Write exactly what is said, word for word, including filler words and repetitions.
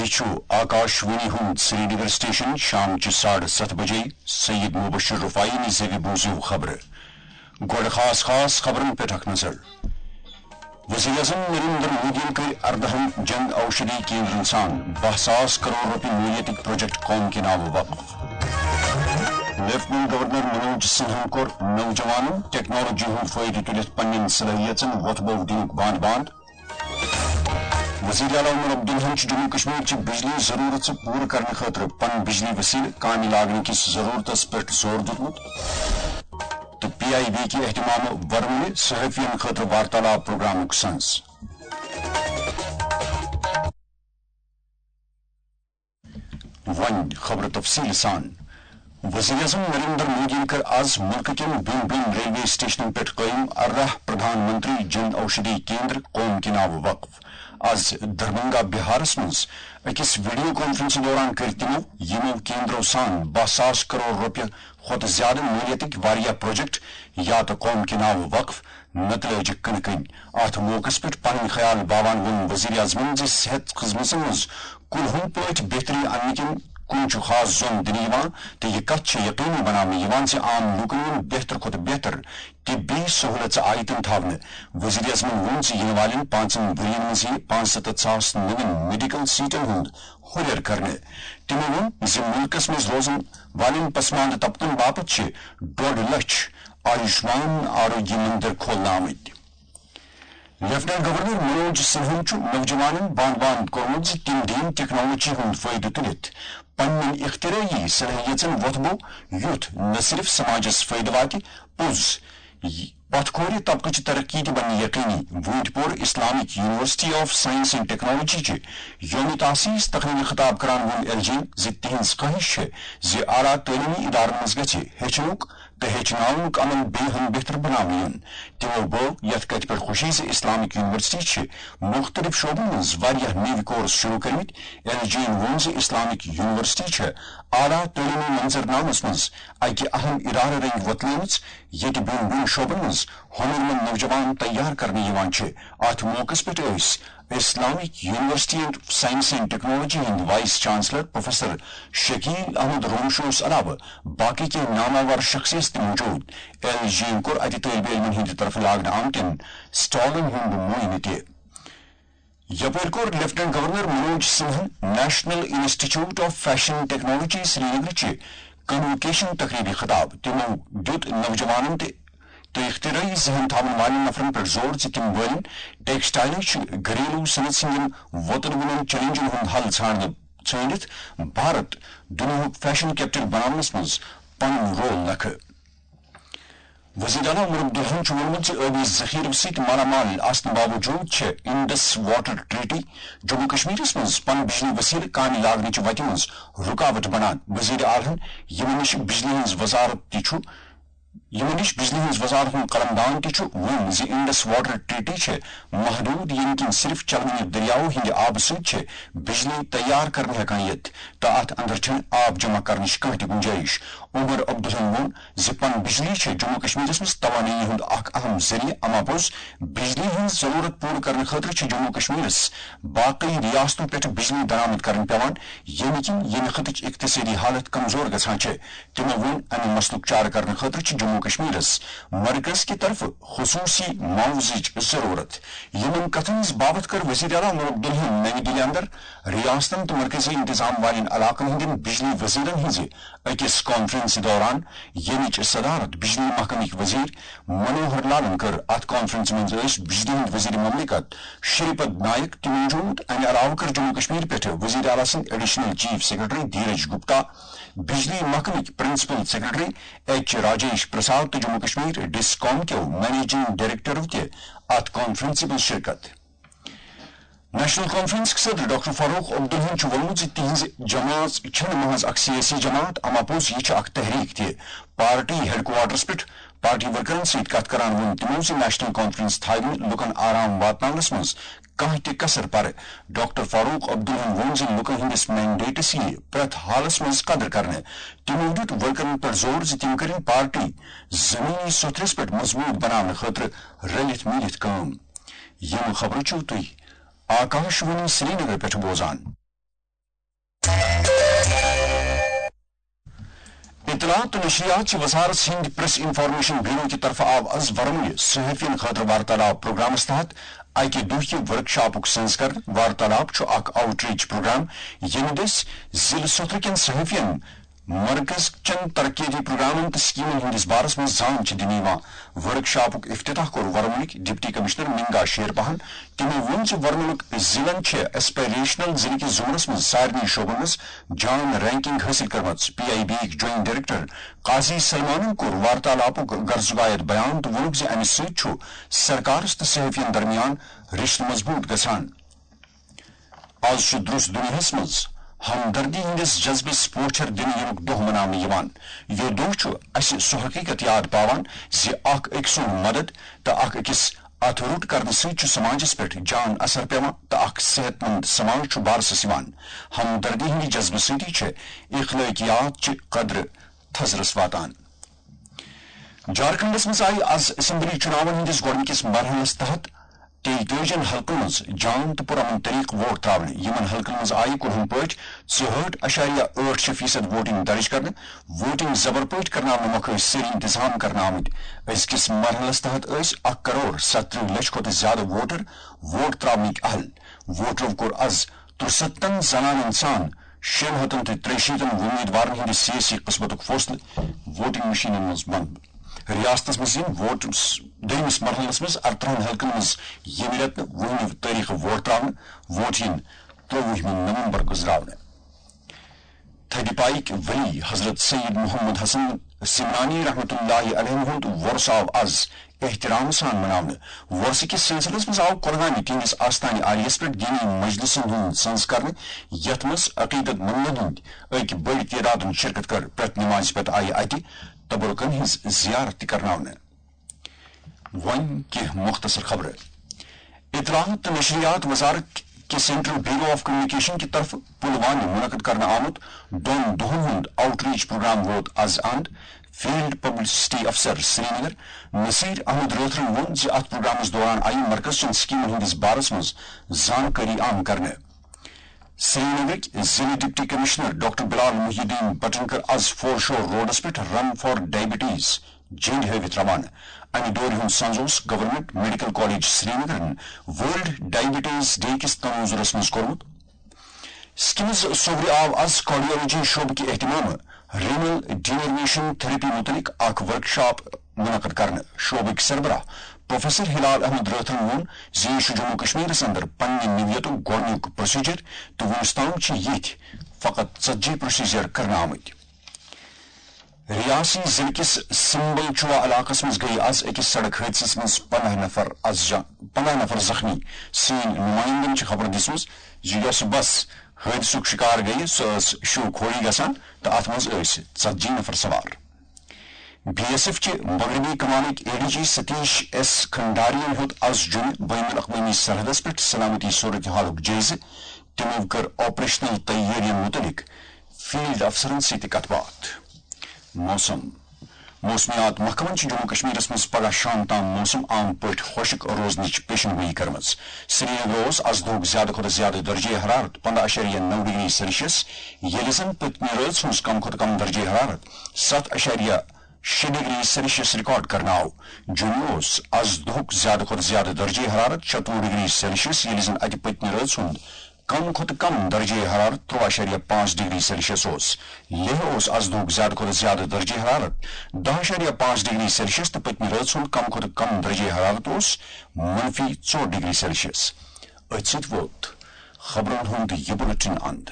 چھُ آکاش وانی ہُنٛد سرینگر سٹیشن۔ شام چہِ ساڑٕ ستھ بجے سید مبشر رفاعی نہِ زیوِ بوٗزِو خبرٕ۔ گۄڈٕ خاص خاص خبرن پٮ۪ٹھ اکھ نظر۔ وزیر اعظم نریندر مودیَن کٔرۍ اردہن جن اوشدھی کیندرن سان باہ ساس کرور رۄپیہِ مٲلیتٕکۍ پروجیکٹ قوم کہِ ناوٕ وقف۔ لیفٹیننٹ گورنر منوج سنہاہن کوٚر نوجوانن ٹیکنالوجی ہُنٛد فٲیدٕ تُلِتھ پننٮ۪ن صلٲحیژن وۄتھ بوو دِنُک باند باند۔ وزیر اعلیٰ عمر عبداللہن چھُ جموں کشمیر چہِ بجلی ضرورژٕ پوٗرٕ کرنہٕ خٲطرٕ پن بجلی وسیلہٕ کامہِ لاگنہٕ کِس ضرورتس پٮ۪ٹھ زور دیُتمُت تہٕ پی آئی بی کہِ اہتمامہٕ ورمُلہِ صحافین خٲطرٕ وارتالاب پروگرامُک سنز۔ وۄنۍ خبرٕ تفصیٖل سان۔ وزیر اعظم نریندر مودیَن کٔر آز مُلکہٕ کٮ۪ن بیٚن بیٚن ریلوے سٹیشنن پٮ۪ٹھ قٲیِم ارداہ پردھان منتری جن اوشدھی کیندر قوم کہِ ناوٕ وقف۔ آز دربھنگہ بہارس منٛز أکِس ویڈیو کانفرنسہٕ دوران کٔرۍ تِمو یِمو کیندرو سان باہ ساس کرور رۄپیہِ کھۄتہٕ زیادٕ مٲلیتٕکۍ واریاہ پروجیکٹ یا تہٕ قوم کہِ ناوٕ وقف، نتہٕ لٲجِکھ کٕنہٕ کٕنۍ۔ اتھ موقعس پٮ۪ٹھ پنٕنۍ خیال باوان ووٚن وزیر اعظمن زِ صحت خدمژن منٛز کُلہُنۍ پٲٹھۍ بہتری اننہٕ کِنۍ کُن چھُ خاص زوٚن دِنہٕ یِوان تہٕ یہِ کتھ چھِ یقینی بناونہٕ یِوان زِ عام لوٗکن یِن بہتر کھۄتہٕ بہتر طبی سہولژٕ آیتن تھاونہٕ۔ وزیر اعظمن ووٚن زِ یِنہٕ والٮ۪ن پانٛژن ؤرین منٛز یِیہِ پانٛژستتھ ساس نوٮ۪ن میڈیکل سیٹن ہُنٛد ہُرٮ۪ر کرنہٕ۔ تِمو ووٚن زِ مُلکس منٛز روزن والٮ۪ن پسماندٕ طبقن باپتھ چھِ ڈۄڈ لچھ آیوشمان آروگیہ مندر کھولنہٕ آمٕتۍ۔ لیفٹیننٹ گورنر منوج سنہاہن چھُ نوجوانن باند باند کوٚرمُت زِ تِم دِیِن ٹیکنالوجی ہُنٛد فٲیدٕ تُلِتھ پننٮ۪ن اختراعی صلٲحیژن وۄتھٕ بو، یُتھ نہ صرف سماجس فٲیدٕ واتہِ، پوٚز پتھ کھورِ طبقہٕ چہِ ترقی تہِ بنہِ یقینی۔ ووٗنٛتۍ پوٚر Islamic university of science and technology چہِ یوم تاسیس تقریبہِ خطاب کران ووٚن ایل جی ین زِ تِہنٛز خٲہِش چھےٚ زِ اعلیٰ تعلیمی ادارن منٛز گژھِ ہیٚچھنُک تہٕ ہیٚچھناونُک عمل بیٚیہِ ہن بہتر بناونہٕ یُن۔ تِمو بٲو یتھ کتھِ پٮ۪ٹھ خوشی زِ اسلامک یونیورسٹی چھِ مُختٔلِف شعبن منٛز واریاہ نٔوۍ کورس شروع کٔرمٕتۍ۔ ایل جی ین ووٚن زِ اسلامک یونیورسٹی چھےٚ اعلیٰ تعلیمی منظرنامس منٛز اکہِ اہم ادارٕ رنگۍ وۄتلٲومٕژ، ییٚتہِ بیٚن بیٚن شعبن منٛز ہۄنرمند نوجوان تیار کرنہٕ یِوان چھِ۔ اتھ موقعس پٮ۪ٹھ ٲسۍ Islamic university and science and technology ہٕنٛدۍ vice chancellor professor Shakeel Ahmad رونشوس علاوٕ باقی کینٛہہ ناماور شخصیت تہِ موجود۔ ایل جی ین کوٚر اتہِ طٲلبہِ علمن ہٕنٛدِ طرفہٕ لاگنہٕ آمتٮ۪ن سٹالن ہُنٛد معائنہٕ تہِ۔ یپٲرۍ کوٚر lieutenant governor Manoj سنہن national institute of fashion technology Srinagar چہِ کنووکیشن تقریبہِ خطاب۔ تِمو دیُت نوجوانن تہِ تہٕ اختراعی ذہن تھاون والٮ۪ن نفرن پٮ۪ٹھ زور زِ تِم والن ٹیکسٹائلٕچ گھریلو صنعت ہٕنٛدٮ۪ن وۄتلوٕنٮ۪ن چیلنجن ہُنٛد حل ژھانڈنہٕ ژھٲنڈِتھ بھارت دُنیاہُک فیشن کیپٹل بناونس منٛز پنُن رول لکھٕ۔ وزیر اعلیٰ عمر عبداللہن چھُ ووٚنمُت زِ ٲبی ذخیرٕ سۭتۍ مالا مال آسنہٕ باوجوٗد چھےٚ انڈس واٹر ٹریٹی جموں کشمیرس منٛز پن بجلی وسیلہٕ کامہِ لاگنٕچہِ وتہِ منٛز رُکاوٹ بنان۔ وزیر اعلیٰ ہن یِمن نِش بجلی ہٕنٛز وزارت تہِ چھُ یِمن نِش بجلی ہٕنٛز وزارتُک قلمدان تہِ چھُ ووٚن زِ انڈس واٹر ٹریٹی چھےٚ محدوٗد، ییٚمہِ کِنۍ صرف چلوٕنہِ دٔریاوٕ ہٕنٛدِ آبہٕ سۭتۍ چھےٚ بجلی تیار کرنہٕ ہٮ۪کان یِتھ تہٕ اتھ اندر چھنہٕ آب جمع کرنٕچ کانٛہہ تہِ گُنجٲیِش۔ عمر عبداللہن ووٚن زِ پن بجلی چھےٚ جموں کشمیرس منٛز توانٲیی ہُنٛد اکھ اہم ذٔریعہٕ، اما پوٚز بجلی ہٕنٛز ضروٗرت پوٗرٕ کرنہٕ خٲطرٕ چھِ جموں کشمیرس باقٕے ریاستو پٮ۪ٹھ بجلی درآمد کرٕنۍ پٮ۪وان، ییٚمہِ کِنۍ ییٚمہِ خطٕچ اقتصٲدی حالت کمزور گژھان چھےٚ۔ تِمو ووٚن امہِ مسلُک چارٕ کرنہٕ خٲطرٕ چھِ جموں کشمیرس مرکز کہِ طرفہٕ خصوٗصی معاوضٕچ ضروٗرت۔ یِمن کتھن ہٕنٛز باوتھ کٔر وزیر اعلیٰ عمر عبداللہن نَوِ دِلہِ اندر ریاستن تہٕ مرکزی انتظام والٮ۪ن علاقن ہٕنٛدٮ۪ن بجلی وزیرن ہٕنٛزِ أکِس کانفرنسہِ دوران، ییٚمِچ صدارت بجلی محکمٕکۍ وزیر منوہر لالن کٔر۔ اتھ کانفرنسہِ منٛز ٲسۍ بجلی ہٕنٛدۍ وزیر مملکت شری پد نائک تہِ موجود۔ امہِ علاوٕ کٔر جموں کشمیر پٮ۪ٹھٕ وزیر اعلیٰ سٕنٛدۍ additional chief secretary Dheeraj Gupta, بجلی محکمٕکۍ principal secretary H Rajesh Prasad تہٕ جموں کشمیر ڈس کام کیو منیجنگ ڈائریکٹرو تہِ اتھ کانفرنسہِ منٛز شرکت۔ نیشنل کانفرنسٕکۍ صدر ڈاکٹر فاروق عبداللہن چھُ ووٚنمُت زِ تِہنٛز جماعت چھنہٕ محض اکھ سیٲسی جماعت، اما پوٚز یہِ چھِ اکھ تحریک تہِ۔ پارٹی ہیڈ کوارٹرس پٮ۪ٹھ پارٹی ورکرن سۭتۍ کتھ کران ووٚن تِمو زِ نیشنل کانفرنس تھاوِ نہٕ لوٗکن آرام واتناونس منٛز کانٛہہ تہِ کسر پرٕ۔ ڈاکٹر فاروق عبداللہن ووٚن زِ لوٗکن ہٕنٛدِس مینڈیٹس یِیہِ پرٛٮ۪تھ حالس منٛز قدر کرنہٕ۔ تِمو دیُت ورکرن پٮ۪ٹھ زور زِ تِم کٔرِن پارٹی زمینی سوٚتھرِس پٮ۪ٹھ مضبوٗط بناونہٕ خٲطرٕ رلِتھ مِلِتھ کٲم۔ یِم خبرٕ چھِو تُہۍ آکاش وانی سرینگر پٮ۪ٹھ بوزان۔ اطلاعات تہٕ نشریات چہِ وزارت ہٕنٛدِ پریس انفارمیشن بیورو کہِ طرفہٕ آو از ورمُلہِ صحافین خٲطرٕ وارتالاب پروگرامس تحت اکہِ دۄہکہِ ورکشاپُک سنز کرنہٕ۔ وارتالاب چھُ اکھ آؤٹ ریچ پروگرام، ییٚمہِ دٔسۍ ضلعہٕ سوتھرٕ کٮ۪ن صحافین مرکز چٮ۪ن ترقیتی پروگرامن تہٕ سکیمن ہٕنٛدِس بارس منٛز زان چھِ دِنہٕ یِوان۔ ورکشاپُک افتتاح کوٚر ورمُلٕکۍ ڈپٹی کمشنر منگا شیر پہن۔ تِمو ووٚن زِ ورمُلُک ضلعن چھِ ایسپائریشنل ضلعہٕ کِس زمرس منٛز سارنٕے شعبن منٛز جان رینکنگ حٲصِل کٔرمٕژ۔ پی آئی بی یِکۍ جوائنٹ ڈائریکٹر قاضی سلمانن کوٚر وارتالاپُک غرضُک آیت بیان تہٕ ووٚنُکھ زِ امہِ سۭتۍ چھُ سرکارس تہٕ صحافین درمیان رشتہٕ مضبوط گژھان۔ از چھُ درس دنیاہس منٛز ہمدردی ہٕنٛدِس جذبس پوچھر دِنہٕ یِنُک دۄہ مناونہٕ یِوان۔ یہِ دۄہ چھُ اسہِ سُہ حقیقت یاد پاوان زِ اکھ أکۍ سُنٛد مدد تہٕ اکھ أکِس اتھ روٚٹ کرنہٕ سۭتۍ چھُ سماجس پٮ۪ٹھ جان اثر پٮ۪وان تہٕ اکھ صحت مند سماج چھُ بارسس یِوان۔ ہمدردی ہٕنٛدِ جذبہٕ سۭتی چھِ اخلٲقیات چہِ قدرٕ تھزرس واتان۔ جھارکھنڈس منٛز آیہِ از اسمبلی چُناون ہٕنٛدِس گۄڈٕنِکِس مرحلس تحت تیٚتٲجِن حلقن منٛز جان تہٕ پُرامن طریقہٕ ووٹ ترٛاونہٕ۔ یِمن حلقن منٛز آیہِ کُنہن پٲٹھۍ ژُہٲٹھ اَشاریہ ٲٹھ شےٚ فیصد ووٹنگ درٕج کرنہٕ۔ ووٹنگ زبر پٲٹھۍ کرناونہٕ مۄکھٕ ٲسۍ سٲری انتظام کرنہٕ آمٕتۍ۔ أزکِس مرحلس تحت ٲسۍ اکھ کرور ستترٕہ لچھ کھۄتہٕ زیادٕ ووٹر ووٹ ترٛاونٕکۍ اہل۔ ووٹرو کوٚر از ترُستن زنانن سان شیٚن ہتن تہٕ ترٛیہِ شیٖتن وۄمیدوارن ہٕنٛدِ سیٲسی قٕسمتُک فٲصلہٕ ووٹنگ مشینن منٛز بنٛد۔ ریاستس منٛز یِن ووٹ س-، دوٚیمِس مرحلس منٛز ارترٕہن حلقن منٛز ییٚمہِ رٮ۪تہٕ وُہمہِ تٲریخہٕ ووٹ ترٛاونہٕ۔ ووٹ یِن ترٛووُہمہِ نومبر گُزراونہٕ۔ تھدِ پایِکۍ ولی حضرت سید محمد حسن سمنانی رحمتہ اللہ علیہ ہُنٛد وۄرثہٕ آو از احترام سان مناونہٕ۔ وۄرثہٕ کِس سلسلس منٛز آو کۄلگامہِ تِہنٛدِس آستانہِ عالیس پٮ۪ٹھ دینی مجلسن ہُنٛد سنز کرنہٕ، یتھ منٛز عقیدت مندن ہٕنٛدۍ أکۍ بٔڑۍ تعدادن شرکت کٔر۔ پرٛٮ۪تھ نمازِ پتہٕ آیہِ اتہِ تبرکن ہٕنٛز زیارت تہِ کرناونہٕ۔ وۄنۍ کینٛہہ مختصر خبرٕ۔ اطلاعات تہٕ نشریات وزارت کہِ سینٹرل بیورو آف کمیونیکیشن کہِ طرفہٕ پلوامہِ منعقد کرنہٕ آمُت دۄن دۄہن ہُنٛد آؤٹ ریچ پروگرام ووت از اند۔ فیلڈ پبلسٹی افسر سرینگر نصیر احمد رٲتھرن ووٚن زِ اتھ پروگرامس دوران آیہِ مرکز چٮ۪ن سکیمن ہٕنٛدِس بارس منٛز زانکٲری عام کرنہٕ۔ سرینگرٕکۍ ضلع ڈپٹی کمشنر ڈاکٹر بلال محی الدین بٹن کٔر از فور شور روڈس پٮ۪ٹھ رن فار ڈائبٹیز جٔنڈۍ ہٲوِتھ روانہٕ۔ امہِ دورِ ہُنٛد سنز اوس گورنمنٹ میڈیکل کالج سرینگرن ورلڈ ڈائبٹیز ڈے کِس تناظرس منٛز کوٚرمُت۔ سکمز صوبرِ آو از کارڈیولوجی شعبہٕ کہِ اہتمامہٕ رینل ڈینرمیشن تھراپی متعلق اکھ ورکشاپ منعقد کرنہٕ۔ شعبٕکۍ سربراہ پروفیسر ہلال احمد رٲتھرن ووٚن زِ یہِ چھُ جموں کشمیرس اندر پننہِ نوعیتُک گۄڈٕنیُک پروسیجر تہٕ وُنیُس تام چھِ ییٚتھۍ فقط ژتجی پروسیجر کرنہٕ آمٕتۍ۔ ریاسی ضلعہٕ کِس سمبل چوا علاقس منٛز گٔیہِ از أکِس سڑک حٲدثس منٛز پنٛداہ نفر از جا-، پنٛداہ نفر زخمی۔ سٲنۍ نمائندن چھِ خبر دِژمٕژ زِ یۄس بس حٲدثُک شکار گٔیہِ، سۄ ٲس شو کھوری گژھان تہٕ اتھ منٛز ٲسۍ ژتجی نفر سوار۔ بی ایس ایف چہِ مغربی کمانٕکۍ A D G Satish S کھنڈارین ہیوٚت از جوٚمہِ بین الاقوٲمی سرحدس پٮ۪ٹھ سلامتی صورتحالُک جٲیزٕ۔ تِمو کٔر آپریشنل تیٲرین مُتعلق فیلڈ افسرن سۭتۍ تہِ کتھ باتھ۔ موسم۔ موسمیات محکمن چھُ جموں کشمیرس منٛز پگہہ شام تام موسم عام پٲٹھۍ خۄشک روزنٕچ پیشن گویی کٔرمٕژ۔ سرینگر اوس از دۄہُک زیادٕ کھۄتہٕ زیادٕ درجہ حرارت پنٛداہ اَشاریہ نَو ڈگری سیلسیس، ییٚلہِ زن پٔتمہِ رٲژ ہٕنٛز کم کھۄتہٕ کم درجہ حرارت ستھ اَشاریہ شےٚ ڈگری سیلسیس ریکارڈ کرنہٕ آو۔ جوٚمہِ اوس از دۄہُک زیادٕ کھۄتہٕ زیادٕ درجہ حرارت شتوُہ ڈگری سیلسیس، ییٚلہِ زن اتہِ پٔتمہِ رٲژ ہُنٛد کم کھۄتہٕ کم درجہ حرارت ترٛوٚوُہ اَشاریہ پانٛژھ ڈگری سیلسیس اوس۔ لیہہ اوس از دۄہُک زیادٕ کھۄتہٕ زیادٕ درجہ حرارت دَہ اَشاریہ پانٛژھ ڈگری سیلسیس تہٕ پٔتمہِ رٲژ ہُنٛد کم کھۄتہٕ کم درجہ حرارت اوس منفی ژور ڈگری سیلسیس۔ أتھۍ سۭتۍ ووت خبرن ہُنٛد یہِ بُلٹن اند۔